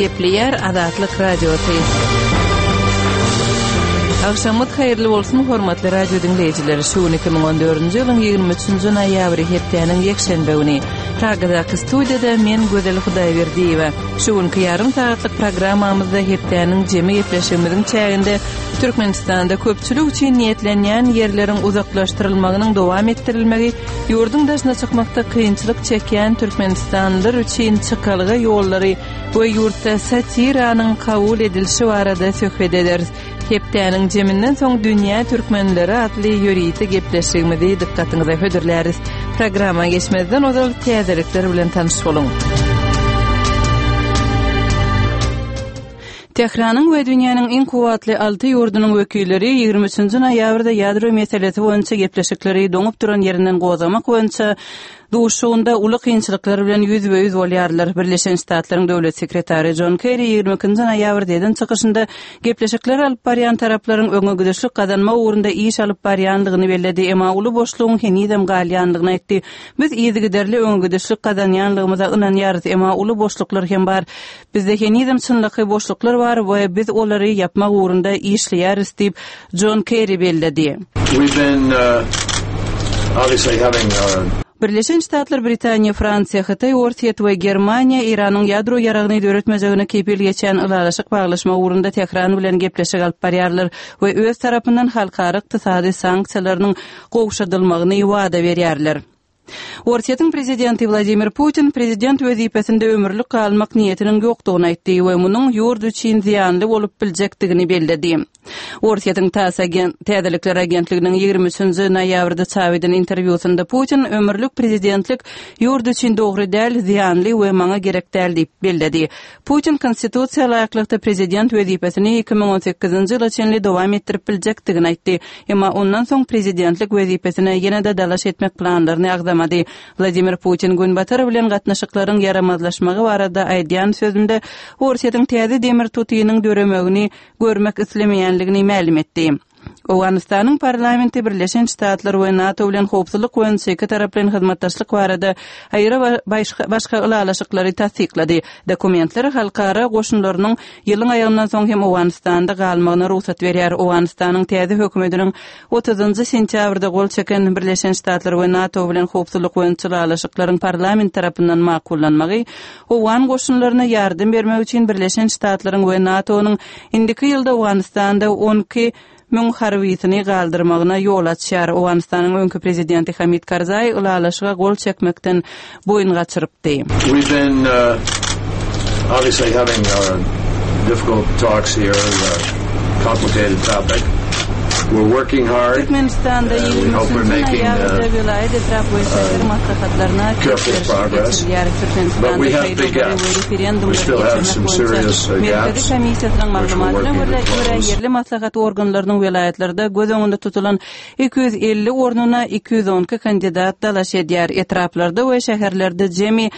Gepleýär Azatlyk Radiosy. Agşamyňyz haýyrly bolsun, hormatly radio diňleýjiler! Şu gün 2014-nji ýylyň 23-nji noýabry, hepdäniň ýekşenbe güni. Pragadaky studiýada men Gözel Hudaýberdiýewa. Şu günki ýarym sagatlyk programmamyzda hepdäniň jemi gepleşigimiziň çäginde Türkmenistanda köpçülik üçin niýetlenýän ýerleriň uzaklaşdyrylmagynyň dowam etdirilmegi, ýurduň daşyna çykmakda kynçylyk çekýän türkmenistanlylar üçin çykalga ýollary we ýurtda satiranyň kabul edilişi barada söhbet ederis. Hepdäniň jeminden soň Dünýä türkmenleri atly ýörite gepleşigimizi dykgatyňyza hödürläris. Programma geçmezden ozal täzelikler bilen tanyş boluň. Tähranyň we dünýäniň iň kuwwatly alty ýurdunyň wekilleri 23-nji noýabrda ýadro meselesi boýunça gepleşikleri doňup duran ýerinden gozgamak boýunça duşuşygynda uly kynçylyklar bilen ýüzbe-ýüz bolýarlar. Birleşen Ştatlaryň döwlet sekretary Jon Kerri 22-nji noýabrda eden çykyşynda gepleşikleri alyp barýan taraplaryň öňe gidişlik gazanmak ugrunda iş alyp barýandygyny belledi, emma uly boşlugyň henizem galýandygyny aýtdy. Biz yzygiderli öňe gidişlik gazanýanlygymyza ynanýarys, emma uly boşluklar hem bar. Bizde henizem çynlakaý boşluklar bar we biz olary ýapmak ugrunda işleýäris diýip, Jon Kerri belledi. Birleşen Ştatlar, Britaniýa, Fransiýa, Hytaý, Orsýet we Germaniýa Eýranyň ýadro ýaragyny döretmejegine kepil geçýän ylalaşyk baglaşmak ugrunda Tähran bilen gepleşik alyp barýarlar we öz tarapyndan halkara ykdysady sanksiýalarynyň gowşadylmagyny wada berýärler. Orsýetiň prezidenti Wladimir Putin prezident wezipesinde ömürlik galmak niýetiniň ýokdugyny aýtdy we munuň ýurt üçin zyýanly bolup biljekdigini belledi. Orsýetiň TASS täzelikler agentliginiň 23-nji noýabrda çap eden interwýusynda Putin ömürlik prezidentlik ýurt üçin dogry däl, zyýanly we maňa gerek däl diýip belledi. Putin Konstitusiýa laýyklykda prezident wezipesini 2018-nji ýyla çenli dowam etdirip biljekdigini aýtdy. Emma ondan soň prezidentlik wezipesine ýene-de dalaş etmek planlaryny agzamady. Wladimir Putin Günbatar bilen gatnaşyklaryň ýaramazlaşmagy barada aýdýan sözünde Orsýetiň täze demir tutynyň döremegini görmek islemeýänligini mälim etdi. Owganystanyň parlamenti Birleşen Ştatlar we NATO bilen howpsuzlyk boýunça ikitaraplaýyn hyzmatdaşlyk barada aýry başga ylalaşyklary tassyklady. Dokumentler halkara goşunlarynyň ýylyň aýagyndan soň hem Owganystanda galmagyna rugsat berýär. Owganystanyň täze hökümetiniň otuzynjy sentýabrda gol çeken Birleşen Ştatlar we NATO bilen howpsuzlyk boýunça ylalaşyklaryň parlament tarapyndan makullanmagy owgan goşunlaryna ýardam bermek üçin Birleşen Ştatlaryň we NATO-nyň indiki ýylda Owganystanda 12 müň harbysyny galdyrmagyna ýol açýar. Owganystanyň öňki prezidenti Hamid Karzaý ylalaşyga gol çekmekden boýun gaçyrypdy. We've been obviously having difficult talks here, complicated topic. We're working hard. Türkmenistanda 23-nji noýabrda welaýat, etrap we şäher maslahatlaryna ses berişlik geçirilýär. Türkmenistanda saýlawlary we referendumlary geçirmek boýunça Merkezi komissiýasynyň maglumatyna görä, ýerli maslahat organlarynyň welaýatlarda göz öňünde tutulan 250 ornuna 212 kandidat dalaş edýär. Etraplarda we şäherlerde jemi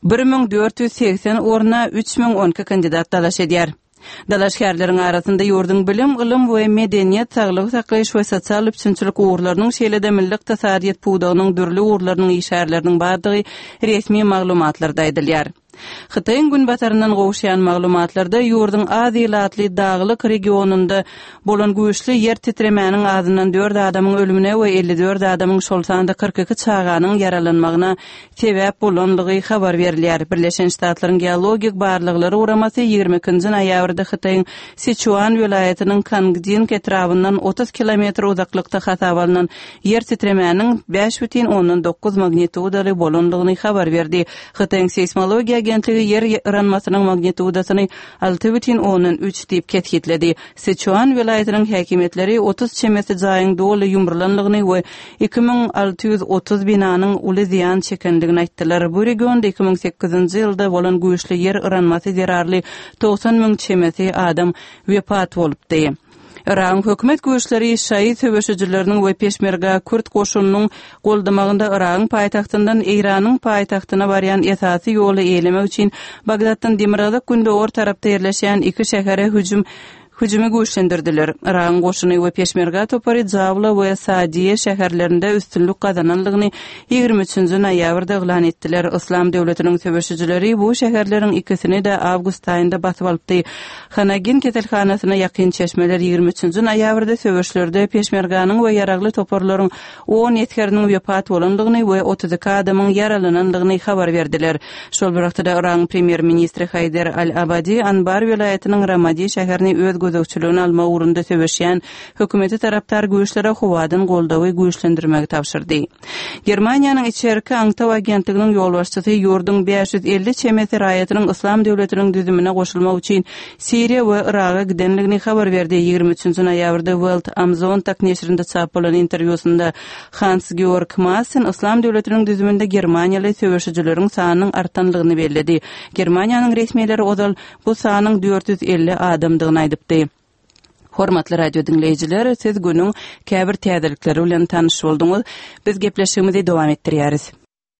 1480 orna 3012 kandidat dalaş edýär. Dalaşgärleriň arasynda ýurduň bilim, ylym we medeniýet, saglygy saklaýyş we sosial üpjünçilik ugurlarynyň, şeýle-de milli ykdysadyýet pudagynyň dürli ugurlarynyň işgärleriniň bardygy resmi maglumatlarda aýdylýar. Hytaýyň günbataryndan gowuşýan maglumatlarda ýurduň az ilatly daglyk regionynda bolan güýçli ýer titremäniň azyndan dört adamyň ölümine we 54 adamyň, şol sanda 42 çaganyň ýaralanmagyna sebäp bolanlygy habar berilýär. Birleşen Ştatlaryň Geologik barlaglary guramasy 22-nji noýabrda Hytaýyň Siçuan welaýatynyň Kangding etrabyndan 30 kilometr uzaklykda hasaba alnan ýer titremäniň 5,9 magnitudaly bolanlygyny habar berdi. Hytaýyň seýsmologiýa agentligi ýer yranmasynyň magnitudasyny 6,3 diýip kesgitledi. Siçuan welaýatynyň häkimiýetleri 30 çemesi jaýyň doly ýumrulanlygyny we 2630 binanyň uly zyýan çekendigini aýtdylar. Bu regionda 2008-nji ýylda bolan güýçli ýer yranmasy zerarly 90 müň çemesi adam wepat bolupdy. Yragyň hökümet güýçleri şaýy söweşijileriniň we peşmerga kürt goşunynyň goldamagynda Yragyň paýtagtyndan Eýranyň paýtagtyna barýan esasy ýoly eýelemek üçin Bagdatdan demirgazyk-gündogar tarapda ýerleşýän iki şähere hüjüm. Hüjümi güýçlendirdiler. Yragyň goşuny we Peşmerga topary Jawla we Saadiýe şäherlerinde üstünlik gazananlygyny 23-nji noýabrda yglan etdiler. Yslam döwletiniň söweşijileri bu şäherleriň ikisini-de awgust aýynda basyp alypdy. Hanagin keselhanasyna ýakyn çeşmeler 23-nji noýabrda söweşlerde Peşmerganyň we ýaragly toparlaryň on esgeriniň wepat bolandygyny we 32 adamyň ýaralanandygyny habar berdiler. Şol bir wagtda-da Yragyň premýer-ministri Haýder al-Abadi Anbar welaýatynyň Ramadi şäherini öz gözegçiligine almak ugrunda söweşýän hökümete tarapdar güýçlere howadan goldawy güýçlendirmegi tabşyrdy. Germaniýanyň içerki aňtaw agentliginiň ýolbaşçysy ýurduň 550 çemesi raýatynyň Yslam döwletiniň düzümine goşulmak üçin Siriýa we Yraga gidenligini habar berdi. 23 noýabrda Welt am Sonntag neşirinde çap bolan interwýusynda Hans-Georg Maassen Yslam döwletiniň düzüminde germaniýaly söweşijileriň sanynyň artanlygyny belledi. Germaniýanyň resmileri ozal bu sanyň 450 adamdygyny aýdypdy. Hormatly radio diňleýjiler, siz günüň käbir täzelikleri bilen tanyş bolduňyz. Biz gepleşigimizi dowam etdirýäris.